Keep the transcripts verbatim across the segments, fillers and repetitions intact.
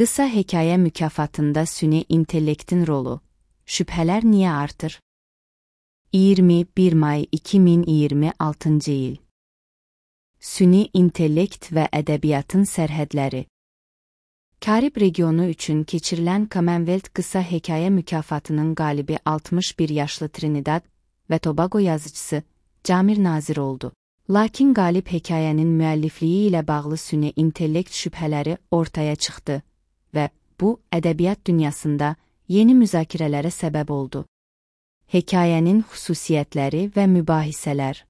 Qısa hekayə mükafatında süni intellektin rolu. Şübhələr niyə artır? iyirmi bir may iki min iyirmi altıncı il. Süni intellekt və ədəbiyyatın sərhədləri. Karib regionu üçün keçirilən Commonwealth qısa hekayə mükafatının qalibi altmış bir yaşlı Trinidad və Tobago yazıcısı Camir Nazir oldu. Lakin qalib hekayənin müəllifliyi ilə bağlı süni intellekt şübhələri ortaya çıxdı və bu, ədəbiyyat dünyasında yeni müzakirələrə səbəb oldu. Hekayənin xüsusiyyətləri və mübahisələr.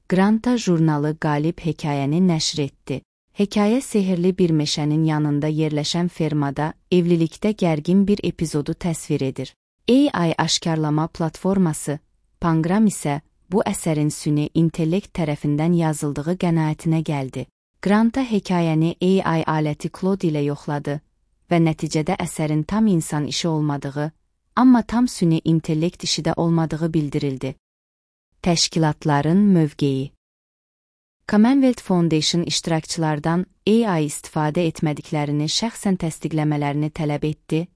Granta jurnalı qalib hekayəni nəşr etdi. Hekayə sehirli bir meşənin yanında yerləşən fermada evlilikdə gərgin bir epizodu təsvir edir. A I aşkarlama platforması, Pangram isə bu əsərin süni intellekt tərəfindən yazıldığı qənaətinə gəldi. Granta hekayəni A I aləti Claude ilə yoxladı və nəticədə əsərin tam insan işi olmadığı, amma tam süni intellekt işi də olmadığı bildirildi. Təşkilatların mövqeyi. Commonwealth Foundation iştirakçılardan A I istifadə etmədiklərini şəxsən təsdiqləmələrini tələb etdi,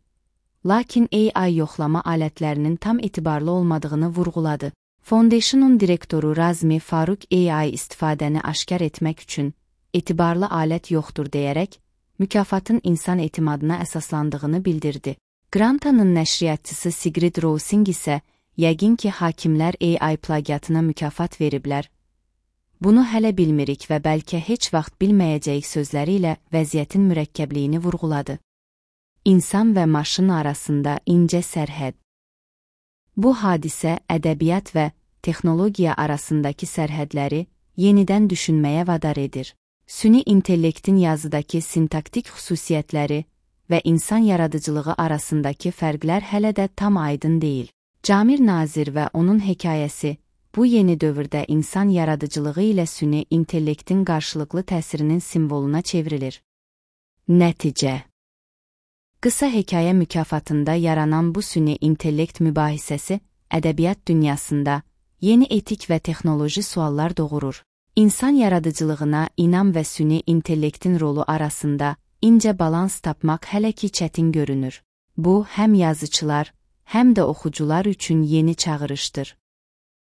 lakin A I yoxlama alətlərinin tam etibarlı olmadığını vurğuladı. Foundation'un direktoru Razmi Faruk A I istifadəni aşkar etmək üçün etibarlı alət yoxdur deyərək, mükafatın insan etimadına əsaslandığını bildirdi. Granta'nın nəşriyyatçısı Sigrid Rowsing isə, yəqin ki, hakimlər A I plagiatına mükafat veriblər. Bunu hələ bilmirik və bəlkə heç vaxt bilməyəcəyik sözləri ilə vəziyyətin mürəkkəbliyini vurğuladı. İnsan və maşın arasında incə sərhəd. Bu hadisə ədəbiyyat və texnologiya arasındakı sərhədləri yenidən düşünməyə vadar edir. Süni intellektin yazıdakı sintaktik xüsusiyyətləri və insan yaradıcılığı arasındakı fərqlər hələ də tam aydın deyil. Camir Nazir və onun hekayəsi, bu yeni dövrdə insan yaradıcılığı ilə süni intellektin qarşılıqlı təsirinin simvoluna çevrilir. Nəticə. Qısa hekayə mükafatında yaranan bu süni intellekt mübahisəsi, ədəbiyyat dünyasında yeni etik və texnoloji suallar doğurur. İnsan yaradıcılığına inam və süni intellektin rolu arasında incə balans tapmaq hələ ki çətin görünür. Bu, həm yazıçılar, həm də oxucular üçün yeni çağırışdır.